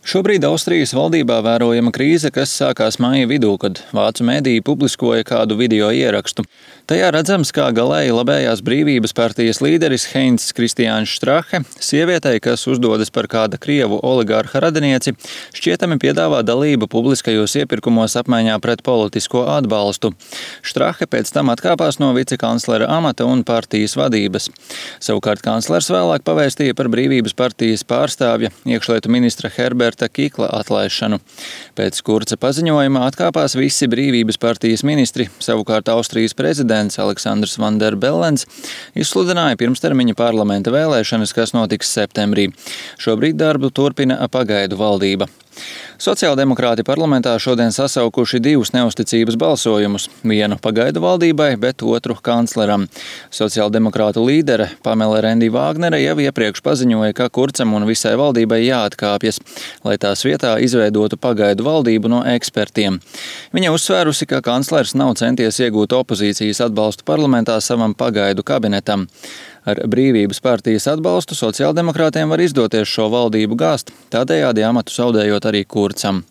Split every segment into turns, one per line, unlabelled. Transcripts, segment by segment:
Šobrīd Austrijas valdībā vērojama krīze, kas sākās māja vidū, kad vācu mediji publiskoja kādu video ierakstu. Tajā redzams, kā galēji labējās brīvības partijas līderis Heinz Kristiāns Strache sievietei, kas uzdodas par kāda krievu oligārha radinieci, šķietami piedāvā dalību publiskajos iepirkumos apmaiņā pret politisko atbalstu. Strache pēc tam atkāpās no vicekanclera amata un partijas vadības. Savukārt kanclers vēlāk pavēstīja par brīvības partijas pārstāvja iekšlietu ministra Herberta Kikla atlaišanu. Pēc Kurza paziņojuma atkāpās visi brīvības partijas ministri, savukārt Austrijas prezidents Aleksandrs Van der Bellens izsludināja pirmstermiņa parlamenta vēlēšanas, kas notiks septembrī. Šobrīd darbu turpina pagaidu valdība. Sociāldemokrāti parlamentā šodien sasaukuši divus neusticības balsojumus, vienu pagaidu valdībai, bet otru kancleram. Sociāldemokrātu līdere Pamela Rendi-Vāgnere jau iepriekš paziņoja, ka Kurzam un visai valdībai jāatkāpjas, lai tās vietā izveidotu pagaidu valdību no ekspertiem. Viņa uzsvērusi, ka kanclers nav centies iegūt opozīcijas atbalstu parlamentā savam pagaidu kabinetam. Ar brīvības partijas atbalstu sociāldemokrātiem var izdoties šo valdību gāzt, tādējādi amatu zaudējot arī Kurzam.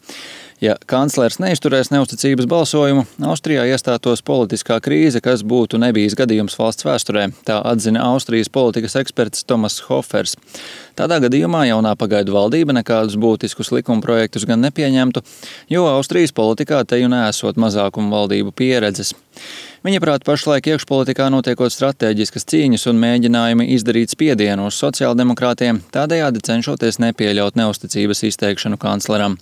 Ja kanclers neizturēs neusticības balsojumu, Austrijā iestātos politiskā krīze, kas būtu nebijis gadījums valsts vēsturē, tā atzina Austrijas politikas eksperts Tomas Hofers. Tādā gadījumā jaunā pagaidu valdība nekādus būtiskus likumprojektus gan nepieņemtu, jo Austrijas politikā teju neesot mazākumu valdību pieredzes. Viņa prāt, pašlaik iekšpolitikā notiekot stratēģiskas cīņas un mēģinājumi izdarīt spiedienu uz sociāldemokrātiem, tādējādi cenšoties nepieļaut neusticības izteikšanu kancleram.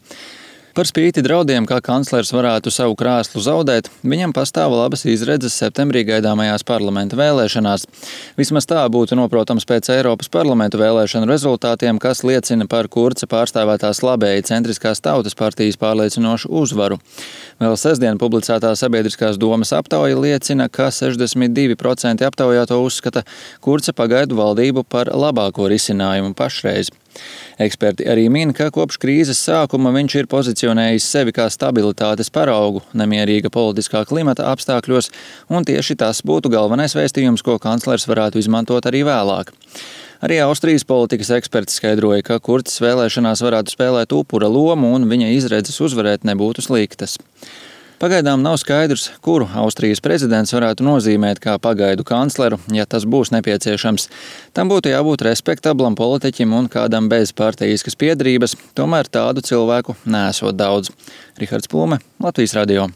Par spīti draudiem, kā kanclers varētu savu krēslu zaudēt, viņam pastāv labas izredzes septembrī gaidāmajās parlamenta vēlēšanās. Vismaz tā būtu noprotams pēc Eiropas parlamentu vēlēšanu rezultātiem, kas liecina par Kurza pārstāvētās labēji centriskās tautas partijas pārliecinošu uzvaru. Vēl sestdien publicētā sabiedriskās domas aptauja liecina, ka 62% aptaujāto uzskata Kurza pagaidu valdību par labāko risinājumu pašreiz. Eksperti arī min, ka kopš krīzes sākuma viņš ir pozicionējis sevi kā stabilitātes paraugu nemierīga politiskā klimata apstākļos, un tieši tas būtu galvenais vēstījums, ko kanclers varētu izmantot arī vēlāk. Arī Austrijas politikas eksperti skaidroja, ka Kurzs vēlēšanās varētu spēlēt upura lomu un viņa izredzes uzvarēt nebūtu sliktas. Pagaidām nav skaidrs, kuru Austrijas prezidents varētu nozīmēt kā pagaidu kancleru, ja tas būs nepieciešams. Tam būtu jābūt respektablam politiķim un kādam bez partijiskas piederības, tomēr tādu cilvēku neesot daudz. Rihards Plume, Latvijas radio.